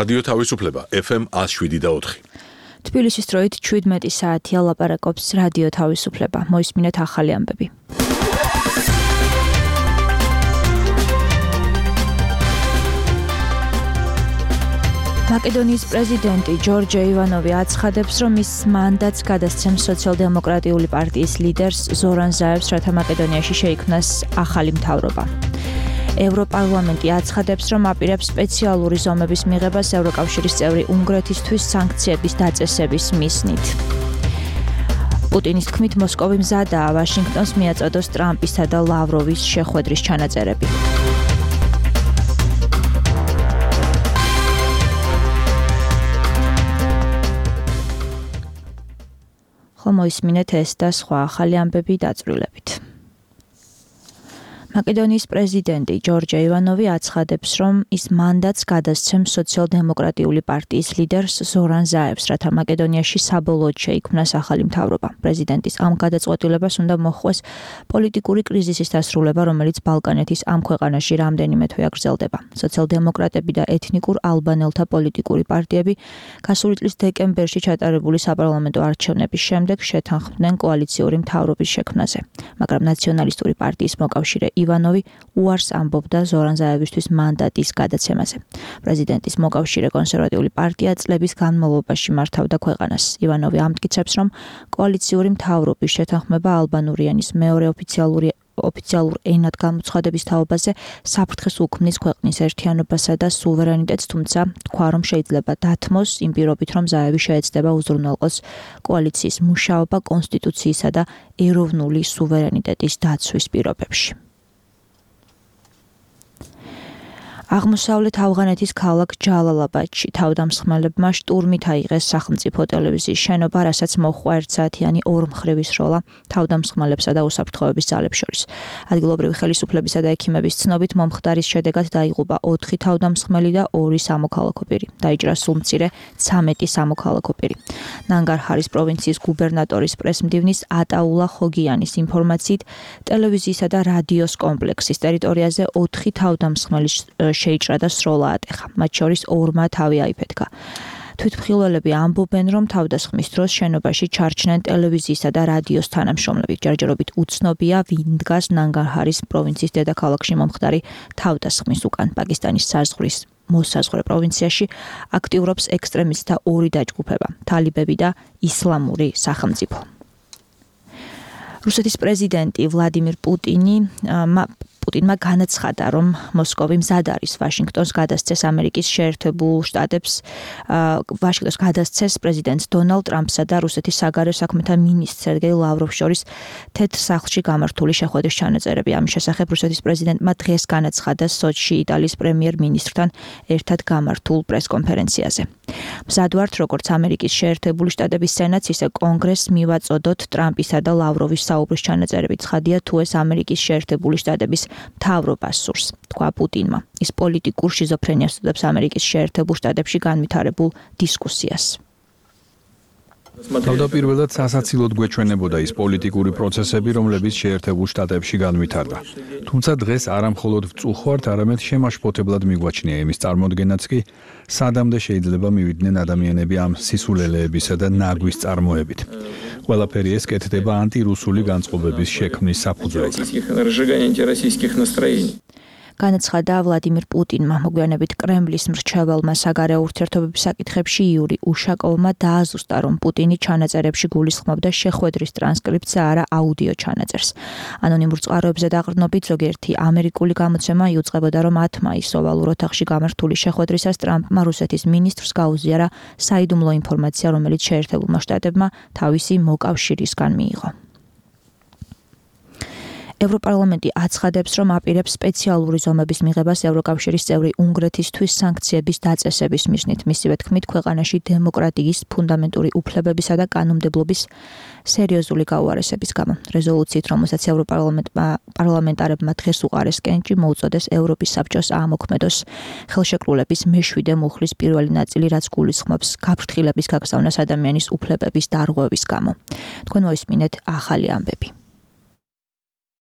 რადიო თავისუფლება FM 107.4. თბილისის დროით 17 საათია ლაპარაკობს რადიო თავისუფლება. მოისმინეთ ახალი ამბები. მაკედონიის პრეზიდენტი ჯორჯე ივანოვი აცხადებს, რომ ის მანდატს გადასცემს სოციალ-დემოკრატიული პარტიის ლიდერს ზორან ზაევს, რათა მაკედონიაში შეიქმნას ახალი მთავრობა. ევროპარლამენტი აცხადებს, რომ აპირებს სპეციალური ზომების მიღებას ევროკავშირის წევრი უნგრეთისთვის სანქციების დაწესების მიზნით. პუტინის თქმით, მოსკოვი მზადაა ვაშინგტონს მიაწოდოს ტრამპისა და ლავროვის შეხვედრის ჩანაწერები. მოისმინეთ ეს და სხვა ახალი ამბები დაწვრილებით. მაკედონიის პრეზიდენტი ჯორჯე ივანოვი აცხადებს, რომ ის მანდატს გადასცემს სოციალ-დემოკრატიული პარტიის ლიდერს ზორან ზაევს, რათა მაკედონიაში საბოლოოდ შეიქმნას ახალი მთავრობა. პრეზიდენტის ამ გადაწყვეტილებას უნდა მოჰყვეს პოლიტიკური კრიზისის დასრულება, რომელიც ბალკანეთის ამ ქვეყანაში რამდენიმე თვე გრძელდება. სოციალ-დემოკრატები და ეთნიკურ ალბანელთა პოლიტიკური პარტიები გასული წლის დეკემბერში ჩატარებული საპარლამენტო არჩევნების შემდეგ შეთანხმდნენ კოალიციური მთავრობის შექმნაზე, მაგრამ ნაციონალისტური პარტიის მოკავშირე ივანოვი უარს ამბობდა ზორან ზაევისთვის მანდატის გადაცემაზე. პრეზიდენტის მოკავშირე კონსერვატიული პარტია წლების განმავლობაში მართავდა ქვეყანას. ივანოვი ამტკიცებს, რომ კოალიციური მთავრობის შეთანხმება ალბანური ენის მეორე ოფიციალურ ენად გამოცხადების თაობაზე საფრთხეს უქმნის ქვეყნის ერთიანობასა და სუვერენიტეტს, თუმცა თქვა, რომ შეიძლება დათმოს იმ პირობით, რომ ზაევი შეეცდება უზრუნველყოს კოალიციის მუშაობა კონსტიტუციისა და ეროვნული სუვერენიტეტის დაცვის პირობებში. აღმოსავლეთ ავღანეთის ქალაქ ჯალალაბადში თავდამსხმელებმა შტურმით აიღეს სახელმწიფო ტელევიზიის შენობა, რასაც მოჰყვა ერთსაათიანი ორმხრივი სროლა თავდამსხმელებსა და უსაფრთხოების ძალებს შორის. ადგილობრივი ხელისუფლებისა და ექიმების ცნობით მომხდარის შედეგად დაიღუპა 4 თავდამსხმელი და 2 სამოქალაქო პირი. დაიჭრა სულმცირე 13 სამოქალაქო პირი. ნანგარჰარის პროვინციის გუბერნატორის პრესმდივნის ატაულა ხოგიანის ინფორმაციით, ტელევიზიისა და რადიოს კომპლექსის ტერიტორიაზე 4 თავდამსხმელი შეიჭრა და სროლა ატეხა. მათ შორის 2-მა თავი აიფეთქა. თვითმხილველები ამბობენ, რომ თავდასხმის დროს შენობაში ჩარჩნენ ტელევიზიისა და რადიოს თანამშრომლები. ჯერჯერობით უცნობია, ვინ დგას ნანგარჰარის პროვინციის დედაქალაქში მომხდარი თავდასხმის უკან. პაკისტანის მოსაზღვრე პროვინციაში აქტიურობს ექსტრემისტთა 2 დაჯგუფება: თალიბები და ისლამური სახელმწიფო. რუსეთის პრეზიდენტი ვლადიმირ პუტინმა განაცხადა, რომ მოსკოვი მზად არის ვაშინგტონს გადასცეს ამერიკის შეერთებულ შტატებს პრეზიდენტ დონალდ ტრამპსა და რუსეთის საგარეო საქმეთა მინისტრ სერგეი ლავროვს შორის თეთრ სახლში გამართული შეხვედრის ჩანაწერები. ამის შესახებ რუსეთის პრეზიდენტმა დღეს განაცხადა სოჩში იტალიის პრემიერ-მინისტრთან ერთად გამართულ პრესკონფერენციაზე. მზად ვართ, როგორც ამერიკის შეერთებული შტატების სენატს, ისე კონგრესს მივაწოდოთ ტრამპისა და ლავროვის საუბრის ჩანაწერები. ცხადია, თუ ეს ამერიკის შეერთებული შტატების მთავრობას სურს, თქვა პუტინმა. ის პოლიტიკურ შიზოფრენიას უწოდებს ამერიკის შეერთებულ შტატებში განვითარებულ დისკუსიას. თავდაპირველად სასაცილოდ გვეჩვენებოდა ის პოლიტიკური პროცესები, რომლებიც შეერთებულ შტატებში განვითარდა. თუმცა დღეს არა მხოლოდ ვწუხართ, არამედ შემაშფოთებლად მიგვაჩნია იმის წარმოდგენაც კი, სადამდე შეიძლება მივიდნენ ადამიანები ამ სისულელეებისა და ნაგვის წარმოებით. ყველაფერი ეს კეთდება ანტირუსული განწყობების შექმნის საფუძველზე. განაცხადა ვლადიმირ პუტინმა. მოგვიანებით კრემლის მრჩეველმა საგარეო ურთიერთობების საკითხებში იური უშაკოვმა დააზუსტა, რომ პუტინი ჩანაწერებში გულისხმობდა შეხვედრის ტრანსკრიფტს და არა აუდიო ჩანაწერს. ანონიმურ წყაროებზე დაყრდნობით ზოგიერთი ამერიკული გამოცემა იუწყებოდა, რომ 10 მაისს ოვალურ ოთახში გამართული შეხვედრისას ტრამპმა რუსეთის მინისტრს გაუზიარა საიდუმლო ინფორმაცია, რომელიც შეერთებულმა შტატებმა თავისი მოკავშირისგან მიიღო. ევროპარლამენტი აცხადებს, რომ აპირებს სპეციალური ზომების მიღებას ევროკავშირის წევრი უნგრეთისთვის სანქციების დაწესების მიზნით. მისივე თქმით, ქვეყანაში დემოკრატიის, ფუნდამენტური უფლებებისა და კანონმდებლობის სერიოზული გაუარესების გამო. რეზოლუციით, რომელსაც ევროპარლამენტარებმა დღეს უყარეს კენჭი, მოუწოდეს ევროპის საბჭოს აამოქმედოს ხელშეკრულების მე-7 მუხლის პირველი ნაწილი, რაც გულისხმობს გაფრთხილების გაგზავნას ადამიანის უფლებების დარღვევის გამო. თქვენ მოისმინეთ ახალი ამბები.